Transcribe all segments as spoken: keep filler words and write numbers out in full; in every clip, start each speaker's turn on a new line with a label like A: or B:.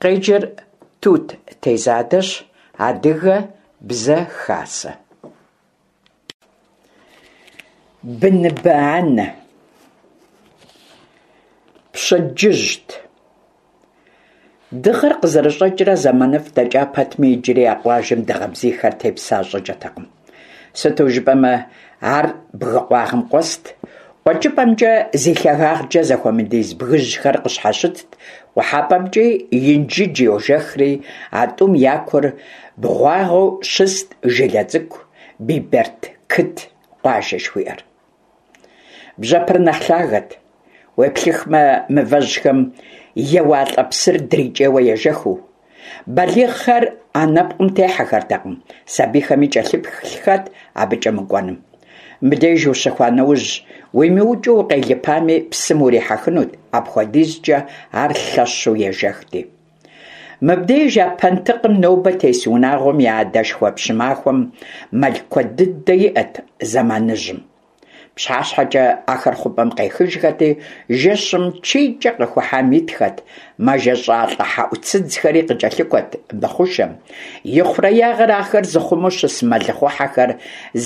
A: Къеджэр Тут Тезадэщ, Адыгэ Бзэ Хасэ. Быныбэ анэ. Пщэдджыжьт. Дыгъэр къызэрыщӀэкӀрэ зэманыфӀ дэкӀа пэтми, иджыри а къуажэм дыгъэ бзийхэр тепса щӀыкӀэтэкъым. Сыту жыпӀэмэ, ар бгы къуагъым къуэст, къуэкӀыпӀэмкӀэ зи лъагагъкӀэ зэхуэмыдиз бгыжьхэр къыщхьэщытт, къухьэпӀэмкӀи Инжыдж йожэхри, а тӀум я кур бгъуагъэу щыст жылэ цӀыкӀу Бибэрдкыт къуажэ жыхуиӀэр. Бжьэпэр нэхъ лъагэт, уеплъыхмэ, мывэжьхэм еуалӀэ псыр дрикӀейуэ ежэхыу. Балигъхэр а нэпкъым техьэхэртэкъым, сабийхэми кӀэлъыплъхэт абыкӀэ мыкӀуэным. Мыбдеж ущыхуа нэужь, уимыукӀыу укъелыпами, псым урихьэхынут, апхуэдизкӀэ ар лъэщу ежэхти. Мыбдеж а пэнтыкъым нобэ тес унагъуэм я адэшхуэ Пщымахуэм мэл куэд дыдэ иӀэт зэманыжьым. ПщыхьэщхьэкӀэ ахэр хъупӀэм къехыжхэти, жэщым чийкӀэ къыхухьам итхэт, мэжэщӀалӀэ хьэӀуцыдзхэри къыкӀэлъыкӀуэт мы хъушэм. Ихъуреягъыр ахэр зыхъумэу щыс мэлыхъуэхьэхэр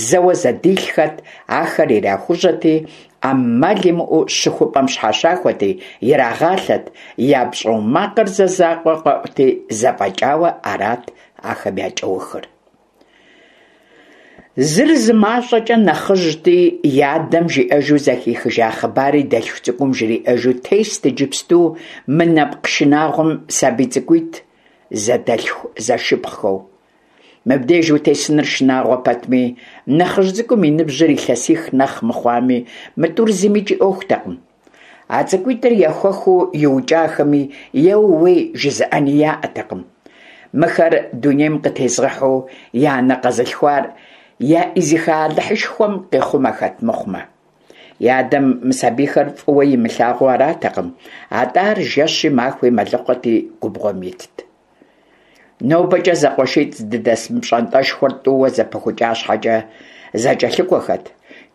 A: зэуэ зэдилъхэт, ахэр ирахужьэти, Ӏэмал имыӀэу щыхупӀэм щхьэщахуэти, ирагъалъэт, я пщӀоу макъыр зэ закъуэ къэӀути, зэфӀэкӀауэ арат ахэм я кӀэухыр. Зыр зы мащӀэкӀэ нэхъыжьти, и адэм жиӀэжу зэхихыжа хъыбар и дэлъху цӀыкӀум жриӀэжу тест иджыпсту мы нэпкъ шынагъуэм сабий цӀыкӀуитӀ зэдэлъху зэшыпхъухэу. Мыбдеж утесыныр шынагъуэ пэтми, нэхъыжь цӀыкӀум и ныбжьыр илъэсих нэхъ мыхъуами, мы тӀур зымикӀ и Ӏуэхутэкъым. А цӀыкӀуитӀыр ехуэхыу иукӀахэми, еууей жызыӀэни яӀэтэкъым. Мыхэр дунейм къытезгъэхьэу я анэ къэзылъхуар яӀизыха Алыхьышхуэм къихъумэхэт мыхъумэ. И адэм мы сабийхэр фӀыуэ имылъагъуу аратэкъым, атӀэ ар жэщи махуи мэлыхъуэти губгъуэм итт. НобэкӀэ зэкъуэшитӀ здыдэс мы пщӀантӀэшхуэр тӀууэ зэпыхукӀа щхьэкӀэ зэкӀэлъыкӀуэхэт.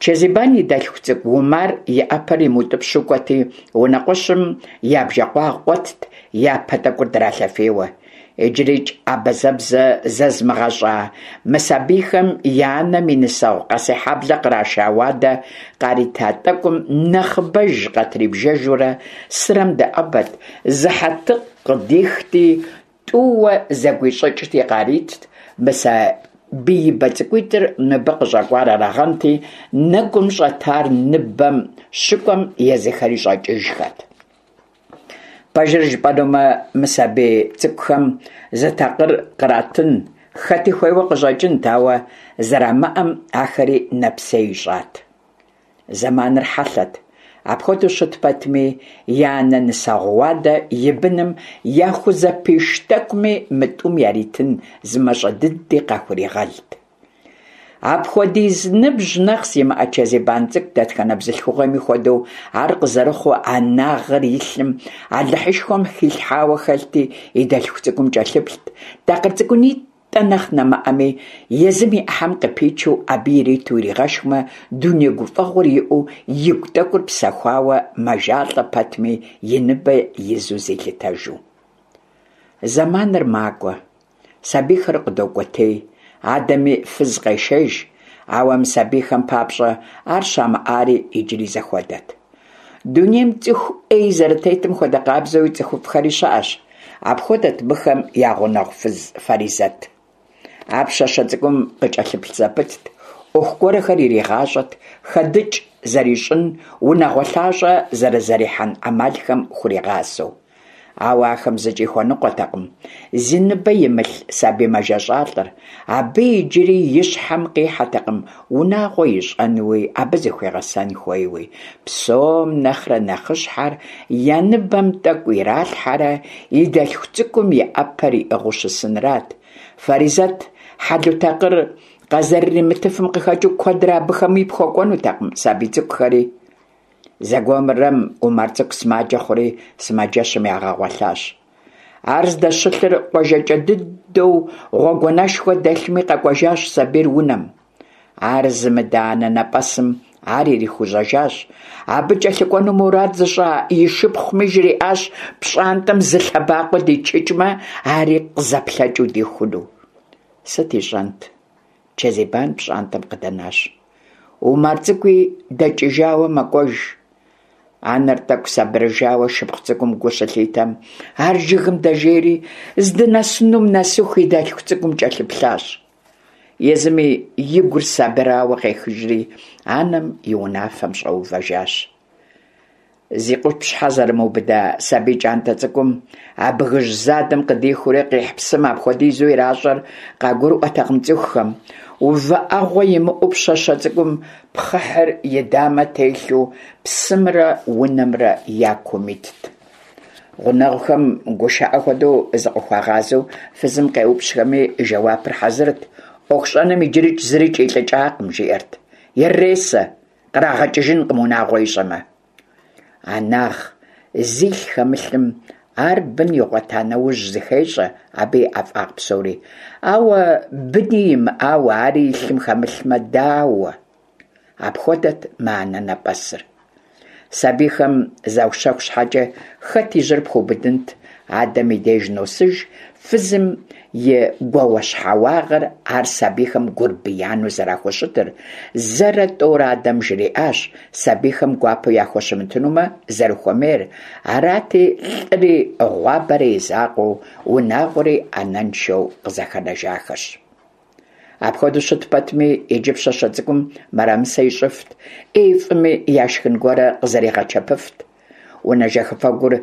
A: Чэзибан и дэлъху цӀыкӀу Умар и Ӏэпэр имыутӀыпщу кӀуэти, унэкъуэщым я бжэкъуагъ къуэтт, я пэ тӀэкӀур дралъэфейуэ. ИджырикӀ абазэбзэ зэзымыгъэщӀа мы сабийхэм я анэм и нысэгъу Къэсейхьэблэ къраша уадэ къарита тӀэкӀум нэхъыбэж къытрибжэжурэ сырэм дэӀэбэт, зы хьэтыкъ къыдихти, тӀууэ зэгуищӀыкӀти къаритт, мы сабиибэ цӀыкӀуитӀыр мыбы къыщӀэкӀуар арагъэнти, нэгум щӀэтар ныбэм щыкӀуэм езыхэри щӀэкӀыжхэт. Пэжыр жыпӀэнумэ, мы сабий цӀыкӀухэм зы такъыр къратын хэти хуейуэ къыщӀэкӀынт, ауэ зэрамыӀэм ахэри нэпсей ищӀат. Зэманыр хьэлъэт. Апхуэдэу щыт пэтми, я анэ нысэгъу уадэ и быным яхузэпиш тӀэкӀуми мы тӀум яритын зы мащӀэ дыди къахуригъэлт. Апхуэдиз ныбжь нэхъ зимыӀэ Чэзибан цӀыкӀу дэтхэнэ бзылъхугъэми хуэдэу ар къызэрыхъуу анагъэр и лъым Алыхьышхуэм хилъхьауэ хэлъти, и дэлъху цӀыкӀум кӀэлъыплът, такъыр цӀыкӀунитӀэ нэхъ нэмыӀэми, езым и Ӏыхьэм къыпичу абы ириту иригъэшхмэ, дуней гуфӀэгъуэр иӀэу, игу тӀэкӀур псэхуауэ, мэжалӀэ пэтми, и ныбэ изу зилъытэжу. Зэманыр макӀуэ, сабийхэр къыдокӀуэтей, адэми фыз къешэж, ауэ мы сабийхэм папщӀэ ар щамыӀари иджыри зэхуэдэт. Дунейм цӀыху Ӏей зэрытетым хуэдэ къабзэуи цӀыхуфӀхэри щыӀэщ. Апхуэдэт мыхэм я гъунэгъу фыз Фаризэт. Ар пщащэ цӀыкӀум къыкӀэлъыплъ зэпытт, Ӏуэху гуэрхэр иригъащӀэт, хэдыкӀ зэрищӀын, унагъуэ лъащӀэ зэрызэрихьэн Ӏэмалхэм хуригъасэу. Ауэ ахэм зыкӀи хуэныкъуэтэкъым зи ныбэ имылъ сабий мэжэщӀалӀэр, абы иджыри и щхьэм къихьэтэкъым унагъуэ ищӀэнуи, абы зыхуигъэсэн хуейуи. Псом нэхърэ нэхъыщхьэр я ныбэм тӀэкӀу иралъхьэрэ и дэлъху цӀыкӀум и Ӏэпэр иӀыгъыу щысынрат. Фаризэт хьэлу такъыр къазэрыримытыфым къыхэкӀыу куэдрэ абыхэми пхуэкӀуэнутэкъым сабий цӀыкӀухэри. Зэгуэрым Умар цӀыкӀу сымаджэ хъури сымаджэщым ягъэгъуэлъащ. Ар здэщылъыр къуажэкӀэ дыдэу гъуэгуанэшхуэ дэлъми, къэкӀуэжащ сабийр унэм. Ар зымыдэ анэнэпӀэсым Ар ирихужьэжащ. Абы кӏэлъыкӏуэну мурад зыщӏа и шыпхъуми жриӏащ пщӏантӏэм зы лъэбакъуэ дичыкӏмэ, ари къызэплъэкӏыу дихуну. Сыт ищӏэнт? Чэзибан пщӏантӏэм къыдэнащ. Умар цӏыкӏуи дэкӏыжауэ мэкӏуэж. Анэр тӏэкӏу сабырыжауэ шыпхъу цӏыкӏум гу щылъитэм, ар жыгым дэжейри, здынэсынум нэсыху и дэлъху цӏыкӏум кӏэлъыплъащ. Езыми и гур сабырауэ къехыжри, анэм и унафэм щӏэувэжащ. Зи къупщхьэ зэрымыубыда сабий кӏантӏэ цӏыкӏум а бгыжь задэм къыдихыурэ къихь псым апхуэдизу иращӏэр къагурыӏуэтэкъым цӏыхухэм. Увыӏэгъуэ имыӏэу пщащэ цӏыкӏум пхъыхьыр и дамэ телъу псымрэ унэмрэ я кум итт. Гъунэгъухэм гушыӏэ хуэдэу зыкъыхуагъазэу фызым къеупщӏхэми жэуапыр хьэзырт: «ӏуэху щӏэным иджырикӏ зырикӏ илӏыкӏакъым», – жиӏэрт. «Иресэ, кърагъэкӏыжынкъым унагъуэ ищӏэмэ». Анагъ зилъ хэмылъым ар бын игъуэта нэужь зыхещӏэ абы и ӏэфӏагъ псори. Ауэ быни имыӏауэ, ари и лъым хэмылъмэ, дауэ? Апхуэдэт мы анэнэпӏэсыр. Сабийхэм заущэху щхьэкӏэ, хэт и жьэр пхуэубыдынт? Адэм и деж носыж фызым и гуауэщхьэуагъэр, ар сабийхэм гурбияну зэрахущытыр. Зэрэ тӏэурэ адэм жриӏащ сабийхэм гуапэу яхущымытынумэ зэрыхуэмейр. Арати, лӏыри гъуабэри и закъуэу, унагъуэри анэншэу къызэхэнэжахэщ. Апхуэдэу щыт пэтми, иджы пщащэ цӏыкӏум мырамысэ ищӏыфт, ӏей фӏыми яшхын гуэрэ къызэригъэчэпыфт. Унэ жэхыфэгур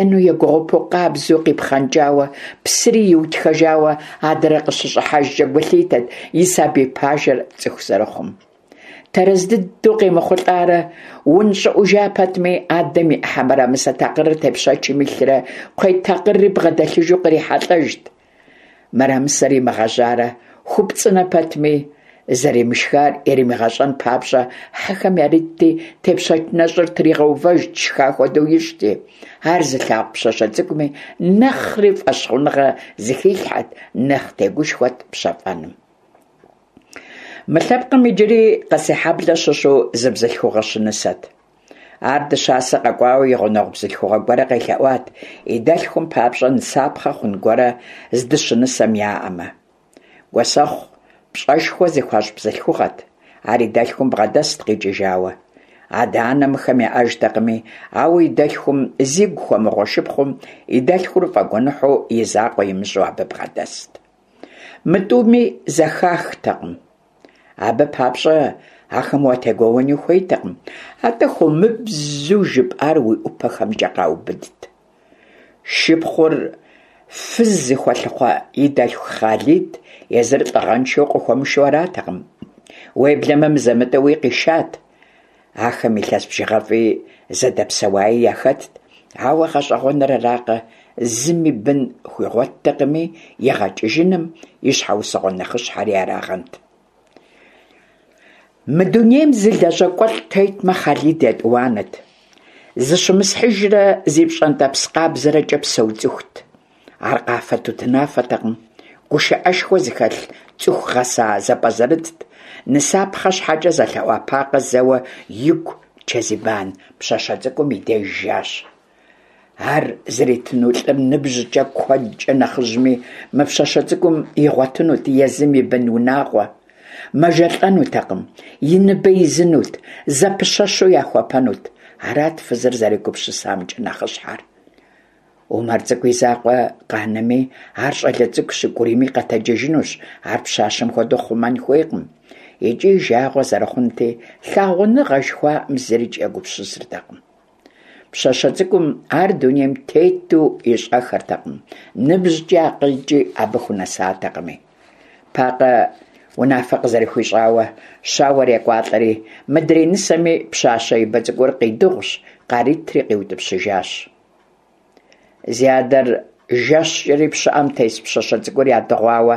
A: ену егугъупэу къабзэу къипхъэнкӏауэ, псыри иутхэжауэ адэрэ къыщыщӏыхьэжкӏэ гу лъитэт и сабий пажэр цӏыху зэрыхъум. Тэрэз дыдэу къемыхъулӏарэ унщӏыӏужа пэтми, адэм и ӏыхьэ мырамысэ такъырыр тепщэчым илърэ кхъуей такъырри бгъэдэлъыжу кърихьэлӏэжт. Мырамысэр имыгъэжьарэ хупцӏынэ пэтми, зэримышхар иримыгъэщӏэн папщӏэ хьэхэм яритти, тепщэч нэщӏыр тригъэувэжт, шха хуэдэу ищӏти. Ар зылъагъу пщащэ цӏыкӏуми нэхъри фӏэщхъуныгъэ зыхилъхьэт, нэхъ тегушхуэт пщэфӏэным. Мы лъэпкъым иджыри Къэсейхьэблэ щыщу зы бзылъхугъэ щынысэт. Ар дыщасэ къэкӏуауэ и гъунэгъу бзылъхугъэ гуэрэ къелъэӏуат, и дэлъхум папщӏэ нысапхъэ хъун гуэрэ здыщынысэм яӏэмэ. Гуэсэхъу пщӏэшхуэ зыхуащӏ бзылъхугъэт. Ар и дэлъхум бгъэдэст къикӏыжауэ. Адэ-анэ мыхэм яӏэжтэкъыми, ауэ и дэлъхум зигу хуэмыгъуэ шыпхъум и дэлъхур фӏэгуэныхьу и закъуэ имыщӏу абы бгъэдэст. Мы тӏуми зэхахтэкъым. Абы папщӏэ ахэм уатегуэуэни хуейтэкъым, атӏэ хыумыбзу жыпӏар уи ӏупэхэмкӏэ къаубыдт. Шыпхъур фыз зыхуэлъыхъуэ и дэлъху Хъалид езыр лӏыгъэншэу къыхуэмышэу аратэкъым. Уеблэмэ мызэ-мытӏэуи къишат. Ахэм илъэс бжыгъэфӏи зэдэпсэуаи яхэтт, ауэ гъэщӏэгъуэныр аракъэ, зыми бын хуигъуэттэкъыми, игъэкӏыжыным и щхьэусыгъуэ нэхъыщхьэри арагъэнт. Мы дунейм зы лэжьакӏуэлӏ тетмэ, Хъалид етӏуанэт. Зыщымысхьыжрэ зи пщӏэнтӏэпс къабзэрэкӏэ псэу цӏыхут. Ар къафэ-тутынафэтэкъым, гушыӏэшхуэ зыхэлъ цӏыху гъэса зэпӏэзэрытт. Нысапхъэ щхьэкӏэ зэлъэӏуа Пакъэ зэуэ игу Чэзибан пщащэ цӏыкӏум и деж жащ. Ар зритыну лӏыр ныбжькӏэ куэдкӏэ нэхъыжьми, мы пщащэ цӏыкӏум игъуэтынут езым и бын унагъуэ. Мэжэлӏэнутэкъым, и ныбэ изынут, зэпыщэщу яхуэпэнут. Арат фызыр зэрегупсысамкӏэ нэхъыщхьэр. Умар цӏыкӏу и закъуэ къанэми, ар щӏалэ цӏыкӏу щыкӏурийми къэтэджыжынущ, ар пщащэм хуэдэу хъумэн хуейкъым. Икӏи жагъуэ зэрыхъунти, лъагъуныгъэ жыхуаӏэм зырикӏ егупсысыртэкъым. Пщащэ цӏыкӏум ар дунейм тету ищӏэхэртэкъым, ныбжькӏи акъылкӏи абы хунэсатэкъыми. Пакъэ унафэ къызэрыхуищӏауэ, щауэр екӏуалӏэри, мыдрей нысэми пщащэ ибэ цӏыкӏур къидыгъущ, къаритри къиутӏыпщыжащ. Зи адэр жэщкӏэри пщыӏэм тес пщащэ цӏыкӏур ядыгъуауэ,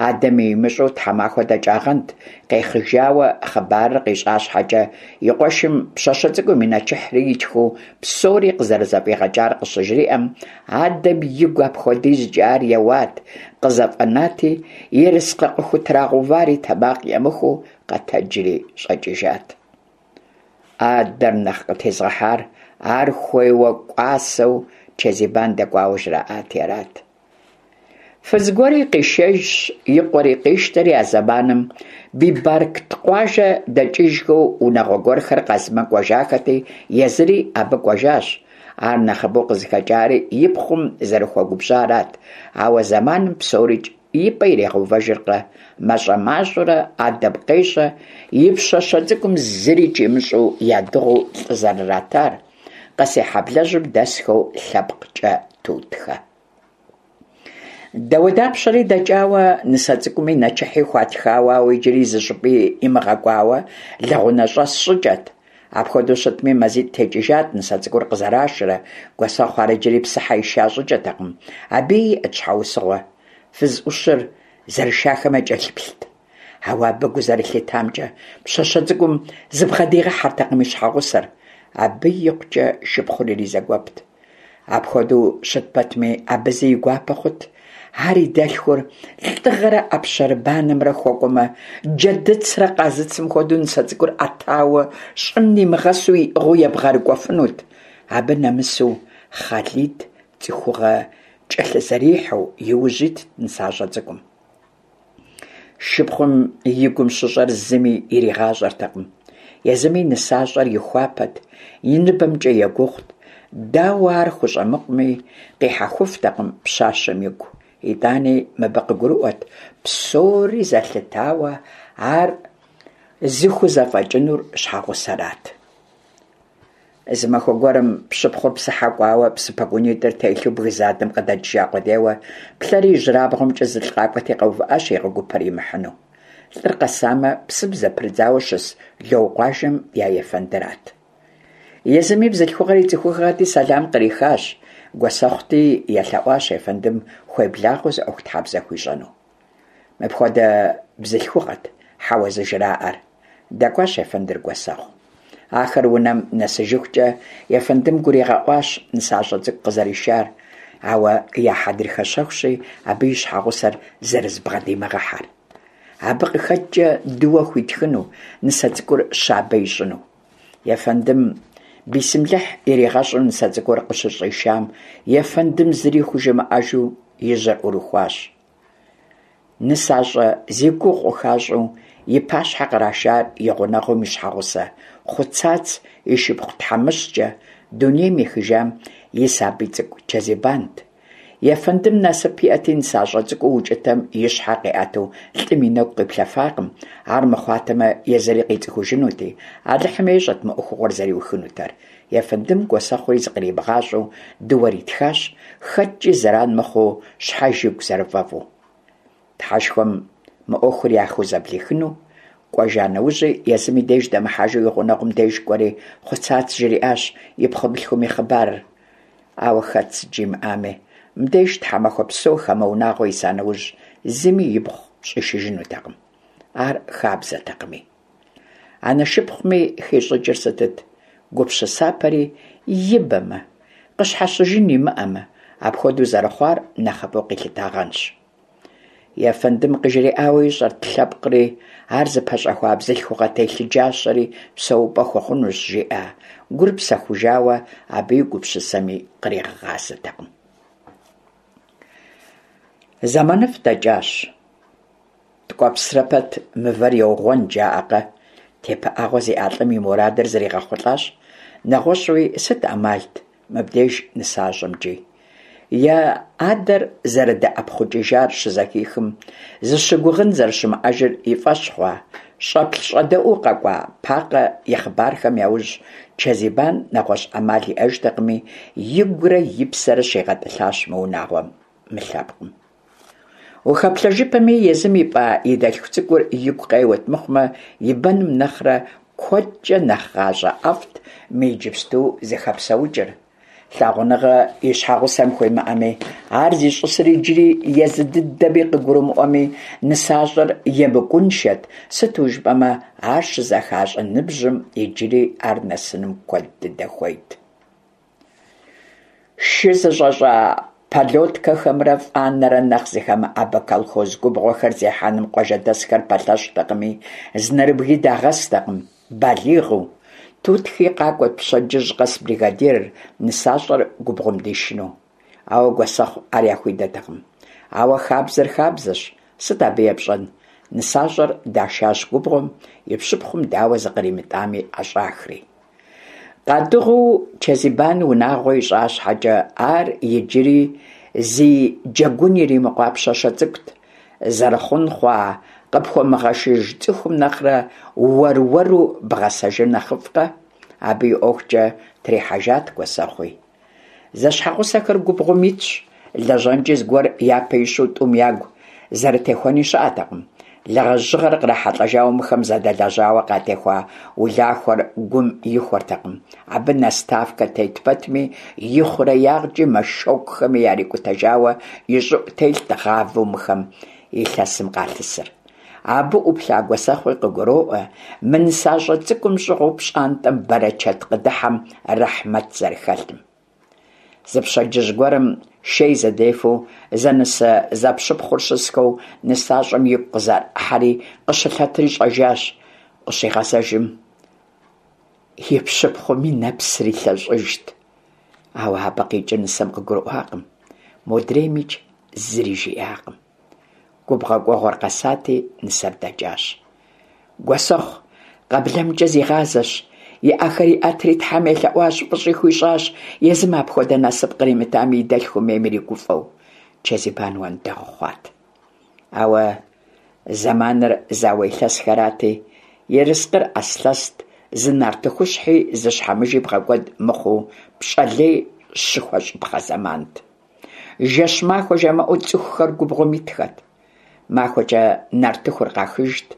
A: адэми имыщӏэу тхьэмахуэ дэкӏагъэнт, къехыжауэ хъыбарыр къищӏа щхьэкӏэ, и къуэшым пщащэ цӏыкӏум и нэчыхьри итхыу псори къызэрызэфӏигъэкӏар къыщыжриӏэм, адэм игу апхуэдизкӏэ ар еуат, къызэфӏэнати, ерыскъы къыхутрагъэувари тэмакъ емыхуу къэтэджри щӏэкӏыжат. Адэр нэхъ къытезыгъэхьар ар хуейуэ кӀуасэу Чэзибан дэкӀуауэ жраӀати арат. Фыз гуэри къишэжщ, и къуэри къищтэри, а зэманым Бибаркт къуажэ дэкӀыжхэу унагъуэ гуэрхэр Къазмэ кӀуэжахэти, езыри абы кӀуэжащ. Ар нэхъыбэу къызыхэкӀари и пхъум зэрыхуэгубжьарат, ауэ зэманым псорикӀ и пӀэ иригъэувэжыркъэ, мащӀэ-мащӀэурэ адэм къещӀэ и пщащэ цӀыкӀум зырикӀ имыщӀэу ядыгъуу лӀы зэрыратар, Къэсейхьэблэжьым дэсхэу лъэпкъкӀэ Тутхэ. Дауэдапщэри дэкӀауэ, нысэ цӀыкӀуми нэчыхьи хуатхауэ, ауэ иджыри зыщӀыпӀи имыгъэкӀуауэ лэгъунэщӀэс щӀыкӀэт. Апхуэдэу щытми, мазитӀ текӀыжат нысэ цӀыкӀур къызэрашэрэ, Гуэсэхъу ар иджыри псыхьэ иша щӀыкӀэтэкъым. Абыи иӀэт щхьэусыгъуэ. Фыз Ӏущыр зэрышахэм якӀэлъыплът. Ауэ абы гу зэрылъитамкӀэ, пщащэ цӀыкӀум зыбгъэдигъэхьэртэкъым и щхьэгъусэр. Абы икъукӀэ шыпхъур иризэгуэпт. Апхуэдэу щыт пэтми, абы зы и гуапэ хъут. Ар и дэлъхур лӀыгъэрэ Ӏэпщэрыбанэмрэ хуэкӀуэмэ, джэдыцрэ къазыцым хуэдэу нысэ цӀыкӀур Ӏэтауэ, щӀым нимыгъэсу иӀыгъыу ебгъэрыкӀуэфынут. Абы нэмысу Хъалид цӀыхугъэ кӀэлъызэрихьэу и ужь итт нысащӀэ цӀыкӀум. Шыпхъум и гум щыщӀэр зыми иригъащӀэртэкъым. Езыми нысащӀэр ихуапэт, и ныбэмкӀэ егугъут. Дауэ ар хущӀэмыкъуми, къихьэхуфтэкъым пщащэм игу. ИтӀани мыбы къыгурыӀуэт псори зэлъытауэ ар зыхузэфӀэкӀынур щхьэгъусэрат. Зы махуэ гуэрым пщыпхъур псыхьэ кӀуауэ псы пэгунитӀыр телъу бгы задэм къыдэкӀыжа къудейуэ, плъэри ижьырабгъумкӀэ зылӀ къакӀуэти къэувыӀащ и гъуэгупэр имыхьыну. ЛӀыр къэсамэ, псым зэпрыдзауэ щыс Лоу къуажэм я ефэндырат. Езыми бзылъхугъэр и цӀыхугъэти, сэлам кърихащ. Гуэсэхъути елъэӀуащ ефэндым хуеблагъэу зы Ӏуэхутхьэбзэ хуищӀэну. Мыпхуэдэ бзылъхугъэт хьэуэ зыжраӀэр. ДэкӀуащ ефэндыр Гуэсэхъу. Ахэр унэм нэсыжыхукӀэ ефэндым гуригъэӀуащ нысащӀэ цӀыкӀу къызэришар, ауэ я хьэдрыхэ щэхущи, абы и щхьэгъусэр зэрызыбгъэдимыгъэхьэр. Абы къыхэкӀкӀэ дыуэ хуитхыну, нысэ цӀыкӀур щабэ ищӀыну. Ефэндым бисымлыхь иригъэщӀу нысэ цӀыкӀур къыщыщӀишам, ефэндым зыри хужымыӀэжу и жьэр Ӏурыхуащ. НысащӀэ зи гугъу къыхуащӀу и пащхьэ кърашар и гъунэгъум и щхьэгъусэ Хъуцац и шыпхъу тхьэмыщкӀэ дунейм ехыжам и сабий цӀыкӀу Чэзибант. Ефэндым насып иӀэти, нысащӀэ цӀыкӀуу укӀытэм и щхьэр къиӀэту лӀым и нэгу къиплъэфакъым, ар мыхъуатэмэ, езыри къицӀыхужынути, Алыхьым ещӀэт мы Ӏуэхугъуэр зэриухынутэр. Ефэндым Гуэсэхъури зыкъримыгъащӀэу дыуэр итхащ, хэткӀи зэран мыхъуу, щхьэж игу зэрыфӀэфӀу. Тхьэшхуэм мы Ӏуэхур яхузэблихыну кӀуэжа нэужьи, езым и деж дэмыхьэжу и гъунэгъум деж кӀуэри Хъуцац жриӀащ и пхъурылъхум и хъыбарыр. Ауэ хэт сыт жимыӀами, мыбдеж тхьэмахуэ псо хамэ унагъуэ иса нэужь, зыми ипхъу щӀишыжынутэкъым. Ар хабзэтэкъыми. Анэ шыпхъуми хищӀыкӀыр сытыт? Гупсысапэри ибэмэ, къыщхьэщыжын имыӀэмэ, апхуэдэу зэрыхъуар нэхъыфӀу къилъытагъэнщ. Ефэндым къыжриӀауэ ищӀэрт лъэпкъри, ар зыпэщӀэхуа бзылъхугъэ телъыджащэри псэупӀэ хуэхъунущ, жиӀа гур псэхужауэ абы и гупсысэми къригъэгъазэтэкъым. ЗэманыфӀ дэкӀащ. ТкӀуэпсрэ пэт мывэр еугъуэн, жаӀэкъэ? ТепыӀэгъуэ зиӀа лӀым и мурадыр зригъэхъулӀащ. НэгъуэщӀуи сыт Ӏэмалт мыбдеж нысащӀэмкӀи? Я адэр зэрыдэӀэпхъукӀыжар щызэхихым, зыщыгугъын зэрыщымыӀэжыр и фӀэщ хъуа, щӀэплъ-щӀэдэӀуу къэкӀуа Пакъэ и хъыбархэм яужь Чэзибан нэгъуэщӀ Ӏэмал иӀэжтэкъыми, игурэ и псэрэ щигъэтӀылъащ мы унагъуэм, мы лъэпкъым. Ухэплъэжыпэми, езым ипӀа и дэлъху цӀыкӀур игу къеуэт мыхъумэ, и бэным нэхърэ куэдкӀэ нэхъ гъащӀэ ӀэфӀт мы иджыпсту зыхэпсэукӀыр. Лъагъуныгъэ и щхьэгъусэм хуимыӀэми, ар зищӀысыр иджыри езы дыдэми къыгурымыӀуэми, нысащӀэр емыкӀуншэт, сыту жыпӀэмэ ар щызэхащӀэ ныбжьым иджыри ар нэсыным куэд дыдэ хуейт. Шы зыщӀэщӀа пэлоткэхэмрэ фӀанэрэ нэхъ зыхэмыӀэбэ колхоз губгъуэхэр зехьэным къуажэдэсхэр пэлъэщтэкъыми, зы нэрыбги дагъэстэкъым балигъыу. Тутхи къакӀуэрт пщэдджыжь къэс бригадирыр, нысащӀэр губгъуэм дишыну. Ауэ Гуэсэхъу ар яхуидэтэкъым. Ауэ хабзэр хабзэщ, сыт абы епщӀэн? НысащӀэр дашащ губгъуэм, и пщыпхъум дауэ зыкъримытӀами ӀэщӀахри. Къадыгъуу Чэзибан унагъуэ ищӀа щхьэкӀэ, ар иджыри зи джэгун иримыкъуа пщащэ цӀыкӀут. Зэрыхъун хъуа къыпхуэмыгъэшыж цӀыхум нэхърэ уэр-уэру бгъэсэжыр нэхъыфӀкъэ? Абы и ӀуэхукӀэ трихьэжат Гуэсэхъуи. Зэщхьэгъусэхэр губгъуэм итщ, лэжьэнкӀи зыгуэр япэ ищу тӀум ягу зэрытехуэни щыӀэтэкъым. Лэжьыгъэр кърахьэлӀэжауэ мыхэм зэдэлэжьауэ къатехуа улахуэр гум ихуэртэкъым. Абы наставкэ тет пэтми, ихъуреягъкӀи мэшокхэми ярикӀутэжауэ и щӀыӀу телът гъавэу мыхэм илъэсым къалъысыр. Абы Ӏуплъа Гуэсэхъуи къыгуроӀуэ мы нысащӀэ цӀыкӀум щӀыгъуу пщӀантӀэм бэрэчэт къыдыхьэм рэхьмэт зэрыхэлъым. Зы пщэдджыжь гуэрым шей зэдефэу зэнысэ-зэпщыпхъур щысхэу нысащӀэм игу къызэрыхьэри къыщылъэтри щӀэжащ. Къыщигъэзэжым и пщыпхъум и нэпсыр илъэщӀыжт. Ауэ абы къикӀыр нысэм къыгурыӀуакъым, модреймикӀ зыри жиӀакъым. Губгъуэ кӀуэгъуэр къэсати, нысэр дэкӀащ. Гуэсэхъу къэблэмкӀэ зигъазэщ, и Ӏэхэр иӀэтри Тхьэм елъэӀуащ, фӀыщӀи хуищӀащ, езым апхуэдэ насып къримытами, и дэлъхум ейм иригуфӀэу. Чэзибан уэндэгъу хъуат. Ауэ зэманыр зауэ илъэсхэрати, ерыскъыр Ӏэслъэст, зы нартыхущхьи зы щхьэмыжи бгъэкӀуэд мыхъуу пщӀэ лей щыхуэщӀыпхъэ зэмант. Жэщ-махуэ жамыӀэу цӀыхухэр губгъуэм итхэт. МахуэкӀэ нартыхур къахыжт,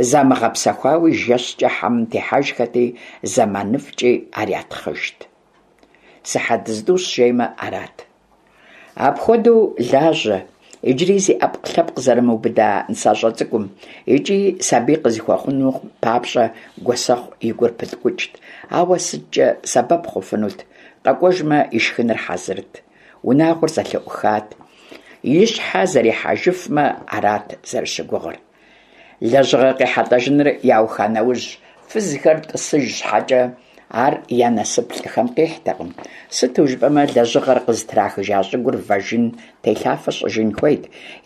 A: замыгъэпсэхуауи жэщкӀэ хьэмым техьэжхэти, зэманыфӀкӀи ар ятхъыжт. Сыхьэт зытӀущ жеймэ, арат. Апхуэдэу лажьэ, иджыри зи Ӏэпкълъэпкъ зэрымыубыда нысащӀэ цӀыкӀум икӀи сабий къызыхуэхъунум папщӀэ Гуэсэхъу и гур пыткӀукӀт, ауэ сыткӀэ сэбэп хъуфынут, къэкӀуэжмэ, и шхыныр хьэзырт, унагъуэр зэлъыӀухат, и щхьэ зэрихьэжыфмэ, арат зэрыщыгугъыр. Лэжьыгъэ къехьэлӀэжыныр яуха нэужь, фызхэр тӀысыж щхьэкӀэ, ар я насып лӀыхэм къихьтэкъым. Сыту жыпӀэмэ, лэжьыгъэр къызытрахыжа щӀыгур вэжын, телъафэ щӀыжын хуейт,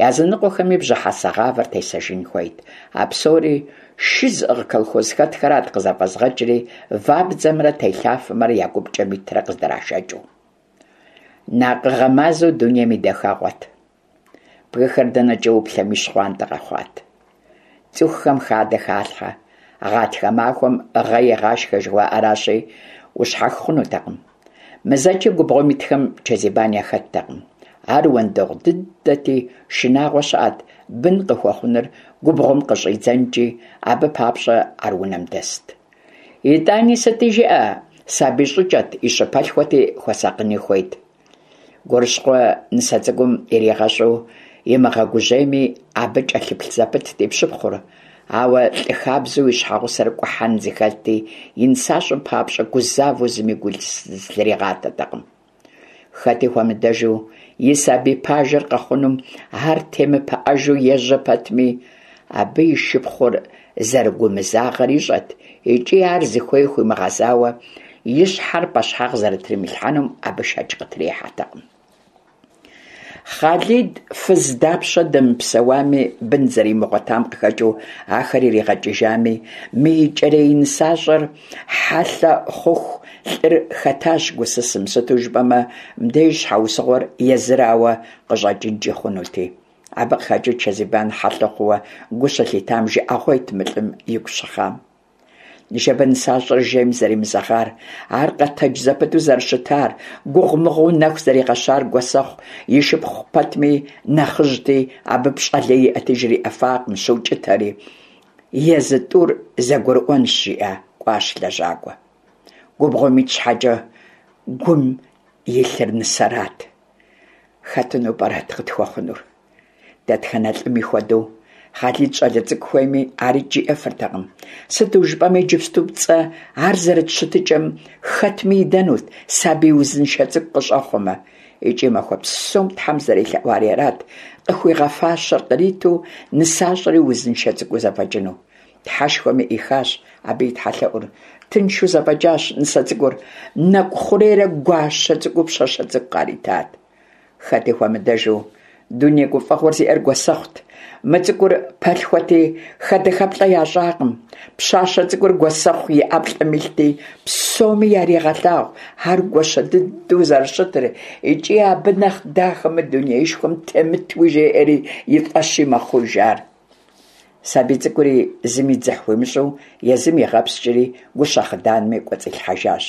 A: языныкъуэхэми бжьыхьэсэ гъавэр тесэжын хуейт. А псори шы зыӀыгъ колхозхэтхэрат къызэфӀэзгъэкӀри, вабдзэмрэ телъафэмрэ я гупкӀэм итрэ къыздрашэкӀыу. Накъыгъэ мазэу дунейм и дахэгъуэт. Бгыхэр дэнэкӀэ уплъэми щхъуантӀэ къэхъуат. ЦӀыхухэм хадэ халъхьэ, гъатхэ махуэм гъэ егъашхэ жыхуаӀэращи, ущхьэх хъунутэкъым. МызэкӀи губгъуэм итхэм Чэзибан яхэттэкъым. Ар уэндэгъу дыдэти, шынагъуэ щыӀэт бын къыхуэхъунур губгъуэм къыщӀидзэнкӀи, абы папщӀэ ар унэм дэст. ИтӀани сыти жыӀэ, сабий щӀыкӀэт, и щыпэлъхуэти, хуэсакъыни хуейт. Гурыщхъуэ нысэ цӀыкӀум иригъэщӀу имыгъэгужьейми, абы кӀэлъыплъ зэпытт и пщыпхъур. Ауэ лӀы хабзэу и щхьэгъусэр кӀухьэн зыхэлъти, и нысащӀэм папщӀэ гузавэу зыми гу зылъригъатэтэкъым. Хэти хуэмыдэжу и сабий пажэр къэхъунум ар темыпыӀэжу ежьэ пэтми, абы и шыпхъур зэрыгумызагъэр ищӀэт икӀи ар зыхуей хуимыгъэзауэ и щхьэр пӀэщхьагъ зэрытримылъхьэнум абы шэч къытрихьэтэкъым. Хъалид фыз дапщэ дэмыпсэуами, бын зэримыгъуэтам къыхэкӀыу ахэр иригъэкӀыжами, мы икӀэрей нысащӀэр хьэлъэ хъуху лӀыр хэтащ гусысым, сыту жыпӀэмэ, мыбдеж щхьэусыгъуэр езырауэ къыщӀэкӀынкӀи хъунути. Абы къыхэкӀыу Чэзибан хьэлъэ хъууэ гу щылъитам жыӀэгъуейт мы лӀым игу щыхъам. Ныжэбэ нысащӀэр жейм зэримызэгъар, ар къэтэдж зэпыту зэрыщытар, гугъумыгъуу нэху зэригъэщар Гуэсэхъу и шыпхъу пэтми нэхъыжьти, абы пщӀэ лей иӀэти жриӀэфакъым, щукӀытэри. Езы тӀур зэгурыӀуэнщ, жиӀа кӀуащ лэжьакӀуэ. Губгъуэм ит щхьэкӀэ гум илъыр нысэрат. Хэтыну пӀэрэт къытхуэхъунур? Дэтхэнэ лӀыми хуэдэу, Хъалид щӀалэ цӀыкӀу хуейми, арикӀ жиӀэфыртэкъым. Сыту жыпӀэмэ, иджыпсту пцӀэ ар зэрыт щытыкӀэм хэтми идэнут, сабий узыншэ цӀыкӀу къыщӀэхъуэмэ. ИкӀи махуэ псом Тхьэм зэрелъэӀуари арат, къыхуигъэфащэр къриту, нысащӀэри узыншэ цӀыкӀуу зэфӀэкӀыну. Тхьэшхуэми Ӏихащ абы и тхьэлъэӀур. Тыншу зэфӏэкӏащ нысэ цӏыкӏур, нэкӏу хъурейрэ гуащэ цӏыкӏуу пщащэ цӏыкӏу къаритат. Хэти хуэмыдэжу, дуней гуфӏэгъуэр зиӏэр Гуэсэхъут. Мы цӏыкӏур пэлъхуэти, хэдэхэплӏэ ящӏакъым. Пщащэ цӏыкӏур Гуэсэхъу и ӏэплӏэм илъти, псоми яригъэлъагъу ар гуащэ дыдэу зэрыщытыр, икӏи абы нэхъ дахэ мы дунеишхуэм темытуи жеӏэри и фӏэщи мэхъуж ар. Сабий цӏыкӏури зыми дзыхь хуимыщӏу езым игъэпскӏри гущэ хъыданми кӏуэцӏилъхьэжащ.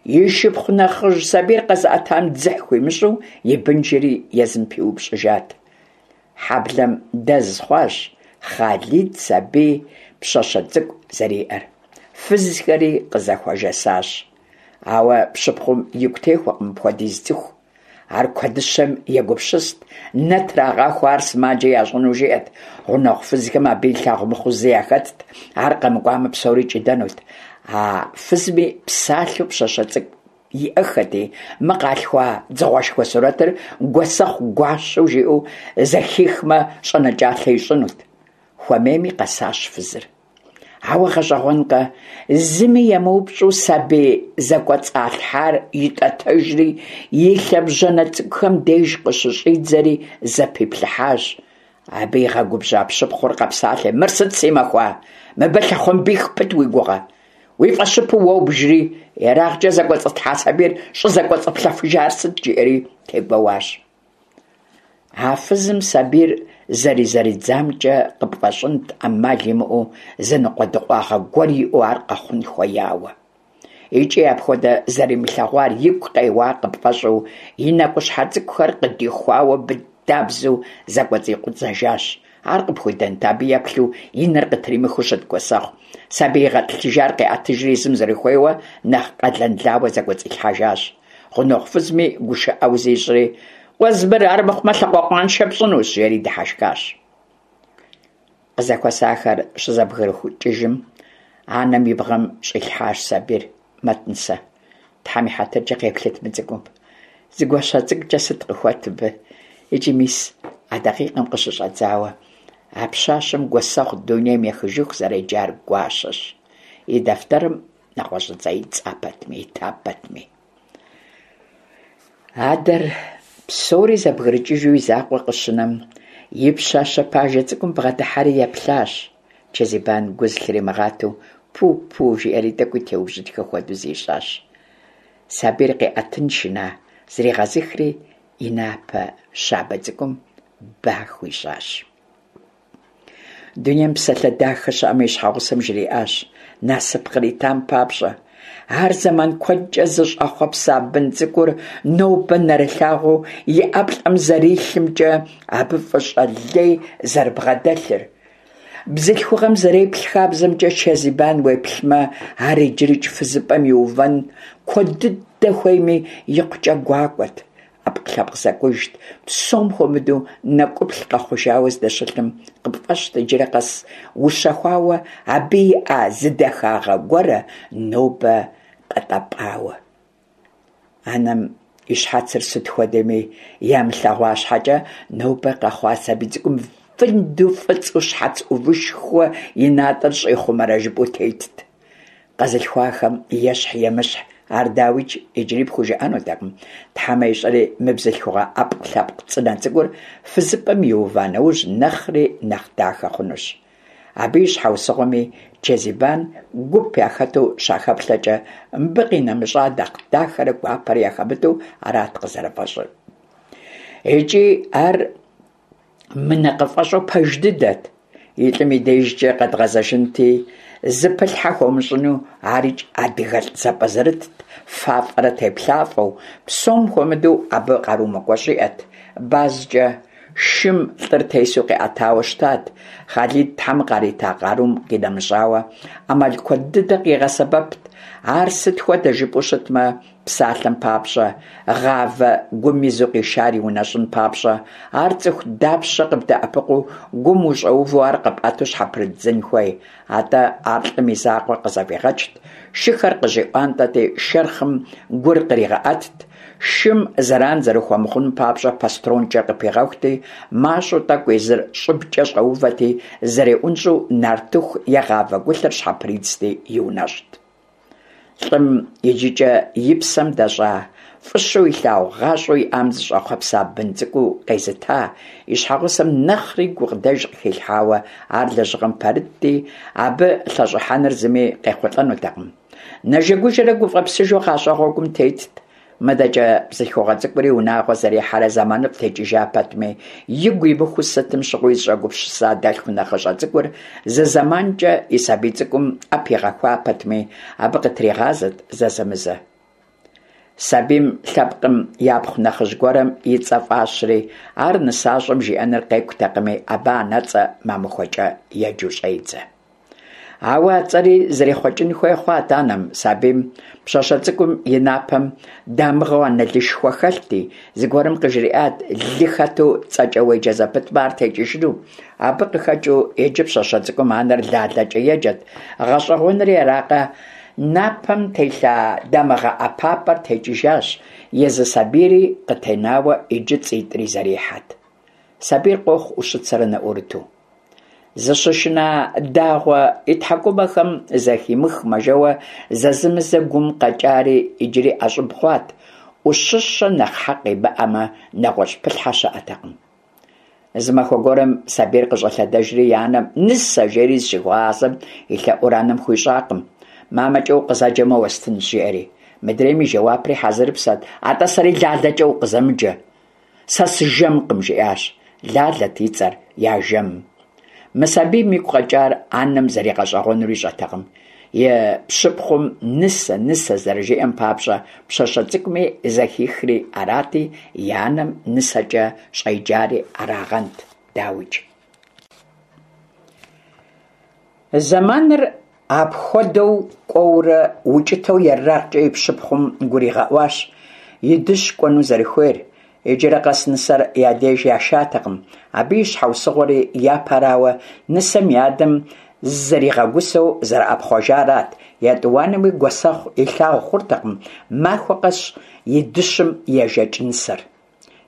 A: И шыпхъу нэхъыжь сабийр къэзыӏэтам дзыхь хуимыщӏу и бынжэри езым пиупщӏыжат. Хьэблэм дэз хъуащ Хъалид сабий пщащэ цӏыкӏу зэриӏэр. Фызхэри къызэхуэжэсащ. Ауэ пщыпхъум игу техуэкъым мыпхуэдиз цӏыху. Ар куэдыщэм егупсыст, нэ трагъахуэ ар сымаджэ ящӏыну жиӏэт. Гъунэгъу фызхэм абы илъагъу мыхъуу зы яхэтт, ар къэмыкӏуамэ псори кӏыдэнут. А фызми псалъэу пщащэ цӏыкӏу иӏэхэти, мы къалъхуа дзыгъуэшхуэ сурэтыр Гуэсэхъу гуащэу жиӏэу зэхихмэ щӏэнэкӏалъэ ищӏынут. Хуэмейми къэсащ фызыр. Ауэ гъэщӏэгъуэнкъэ, зыми емыупщӏу сабий зэкӏуэцӏалъхьар итӏэтэжри, и лъэбжьанэ цӏыкӏухэм деж къыщыщӏидзэри зэпиплъыхьащ. Абы игъэгубжьа пщыпхъур къэпсалъэ: «Мыр сыт си махуа? Мыбы лъэхъуэмбих пыт уи гугъэ? Уи фӏэщыпу уобжри, ерагъкӏэ зэкӏуэцӏытлъхьа сабийр щӏызэкӏуэцӏыплъэфыжар сыт?» жиӏэри тегуэуащ. А фызым сабийр зэризэридзамкӏэ къыпфӏэщӏынт ӏэмал имыӏэу зы ныкъуэдыкъуагъэ гуэр иӏэу ар къэхъун хуеяуэ. Икӏи апхуэдэ зэримылъэгъуар игу къеуа къыпфӏэщӏу и нэкӏущхьэ цӏыкӏухэр къыдихуауэ быдабзэу зэкӏуэцӏикъузэжащ. Ар къыпхуидэнт абы еплъу и нэр къытримыхыу щыт Гуэсэхъу. Сабий игъэтӏылъыжар къиӏэтыжри езым зэрыхуейуэ нэхъ къэлэнлауэ зэкӏуэцӏилъхьэжащ. Гъунэгъу фызми гушыӏэу зищӏри: «Къуэз мыр, ар мыхъумэ лъакъуэкъуаншэ пщӏынущ», жери дыхьэшхащ. Къызэхуэсахэр щызэбгрыкӏыжым, анэм и бгъэм щӏилъхьащ сабийр. «Мэт, нысэ, Тхьэм и хьэтыркӏэ къеплъыт мы цӏыкӏум. Зы гуащэ цӏыкӏукӏэ сыт къыхуэт мыбы?» Икӏи мис а дакъикъэм къыщыщӏэдзауэ а пщащэм Гуэсэхъу дунейм ехыжыху зэреджар Гуащэщ. И дэфтэрым нэгъуэщӏыцӏэ ита пэтми, ита пэтми. Адэр псори зэбгрыкӏыжу и закъуэ къыщынэм, и пщащэ пажэ цӏыкӏум бгъэдыхьэри еплъащ. Чэзибан гу зылъримыгъатэу «пу-пу» жиӏэри тӏэкӏуи теубжьытхэ хуэдэу зищӏащ. Сабийр къиӏэтын шына, зригъэзыхри и напэ щабэ цӏыкӏум ба хуищӏащ. Дунейм псалъэ дахэ щыӏэмэ, и щхьэгъусэм жриӏащ насып къритам папщӏэ. Ар зэман куэдкӏэ зыщӏэхъуэпса бын цӏыкӏур нобэ нэрылъагъуу и ӏэплӏэм зэрилъымкӏэ абы фӏыщӏэ лей зэрыбгъэдэлъыр. Бзылъхугъэм зэреплъ хабзэмкӏэ Чэзибан уеплъмэ, ар иджырикӏ фызыпӏэм иувэн куэд дыдэ хуейми, икъукӏэ гуакӏуэт, ӏэпкълъэпкъ зэкӏужт, псом хуэмыдэу нэкӏуплъ къэхъужауэ здэщылъым къыпфӏэщт иджыри къэс ущэхуауэ абы иӏа зы дахагъэ гуэрэ нобэ къэтӏэпӏауэ. Анэм и щхьэцыр сыт хуэдэми ямылъэгъуа щхьэкӏэ, нобэ къэхъуа сабий цӏыкӏум фынду фӏыцӏэу щхьэц ӏувышхуэ и натӏэр щӏихъумэрэ жыпӏэу тетт. Къэзылъхуахэм ещхь-емыщхь ар дауикӏ иджыри пхужыӏэнутэкъым. Тхьэмэ ищӏэри мы бзылъхугъэ ӏэпкълъэпкъ цӏынэ цӏыкӏур фызыпӏэм иува нэужь нэхъри нэхъ дахэ хъунущ. Абы и щхьэусыгъуэми Чэзибан гуп яхэту щахэплъэкӏэ, мыбы къинэмыщӏа нэхъ дахэрэ гуапэрэ яхэмыту арат къызэрыфӏэщӏыр. Икӏи ар мынэкъыфӏэщӏу пэж дыдэт. И лӏым и дежкӏэ къэдгъэзэжынти, зыпылъхьэ хуэмыщӏыну арикӏ адыгэлӏ зэпӏэзэрытт, фафӏэрэ теплъафӏэу, псом хуэмыдэу абы къару мыкӏуэщӏ иӏэт. Базкӏэ шым лӏыр тесу къиӏэтауэ щытат. Хъалид Тхьэм къарита къарум къинэмыщӏауэ, ӏэмал куэд дыдэ къигъэсэбэпт. Ар сыт хуэдэ жыпӏэу щытмэ, псалъэм папщӏэ, гъавэ гум изу къишар иунэщӏын папщӏэ, ар цӏыху дапщэ къыбдэӏэпыкъуу гум ущӏэувэу ар къэпӏэту щхьэпрыдзын хуей. Атӏэ ар лӏым и закъуэ къызэфӏигъэкӏт, шыхэр къыщӏиӏуантӏэти, шэрхъым гур къригъэӏэтт, шым зэран зэрыхуэмыхъуным папщӏэ пастронкӏэ къыпигъэхути, мащӏэу тӏэкӏу езыр щӏыбкӏэ щӏэувэти, зэреӏунщӏу нартыху е гъавэ гулъэр щхьэпридзти иунэщӏт. Лӏым иджыкӏэ и псэм дэщӏа, фӏыщэу илъагъу гъащӏэу иӏам зыщӏэхъуэпса бын цӏыкӏуу къезыта и щхьэгъусэм нэхъри гукъыдэж къыхилъхьауэ ар лэжьыгъэм пэрытти, абы лъэщӏыхьэныр зыми къехъулӏэнутэкъым. Нэжэгужэрэ гуфӏэпсыжу гъащӏэ гъуэгум тетт. Мыдэкӏэ бзылъхугъэ цӏыкӏури унагъуэ зэрихьэрэ зэманыфӏ текӏыжа пэтми, игу имыхуу сытым щыгъуи зыщӏэгупсыса дэлъху нэхъыщӏэ цӏыкӏур зы зэманкӏэ и сабий цӏыкӏум ӏэпигъэхуа пэтми, абы къытригъазэт зэзэмызэ. Сабийм лъэпкъым япхъу нэхъыжь гуэрым и цӏэ фӏащри, ар нысащӏэм жиӏэныр къекӏутэкъыми, абы анэцӏэ мамыхуэкӏэ еджэу щӏедзэ. Ауэ а цӏэри зэрихъуэкӏын хуей хъуат анэм, сабийм пщащэ цӏыкӏум и напэм дамыгъэу анэлышхуэ хэлъти, зыгуэрым къыжриӏат лы хэту цӏэкӏэ уеджэ зэпытмэ ар текӏыжыну. Абы къыхэкӏыу иджы пщащэ цӏыкӏум анэр Лалэкӏэ еджэт. Гъэщӏэгъуэнри аракъэ, напэм телъа дамыгъэ ӏэпапӏэр текӏыжащ, езы сабийри къытенауэ иджы цӏитӏри зэрихьэт. Сабийр къохъу ӏущыцэрэ нэӏурыту. Зыщышынэ дагъуэ и тхьэкӏумэхэм зэхимыхмэ жэуэ зэзэмызэ гум къэкӏари иджыри ӏэщӏыб хъуат. Ӏущыщэ нэхъ хьэкъ имыӏэмэ, нэгъуэщӏ пылъхьэ щыӏэтэкъым. Зы махуэ гуэрым сабийр къыщӏэлъэдэжри и анэм «Нысэ!» жери зыщыхуигъазэм и лъэӏур анэм хуищӏакъым. «Мамэкӏэ укъызэджэмэ уэстынщ», жиӏэри. Мыдрейм и жэуапри хьэзырыпсэт: «Атӏэ сэри Лалэкӏэ укъызэмыджэ, сэ сыжэмкъым», жиӏащ. Лалэт и цӏэр я жэмым. Мы сабийм игу къэкӏар анэм зэригъэщӏэгъуэнур ищӏэтэкъым. И пщыпхъум нысэ, нысэ зэрыжиӏэм папщӏэ пщащэ цӏыкӏуми зэхихри арати, и анэм нысэкӏэ щӏеджари арагъэнт, дауикӏ. Зэманыр апхуэдэу кӏуэурэ укӏытэу ерагъкӏэ и пщыпхъум гуригъэӏуащ и дыщ кӏуэну зэрыхуейр. Иджырэ къэс нысэр я деж яшатэкъым. Абы и щхьэусыгъуэри, япэрауэ, нысэм и адэм зэригъэгусэу зэрыӏэпхъуэжарат, етӏуанэуи гуэсэхъу илъагъу хъуртэкъым махуэ къэс и дыщым ежэкӏ нысэр.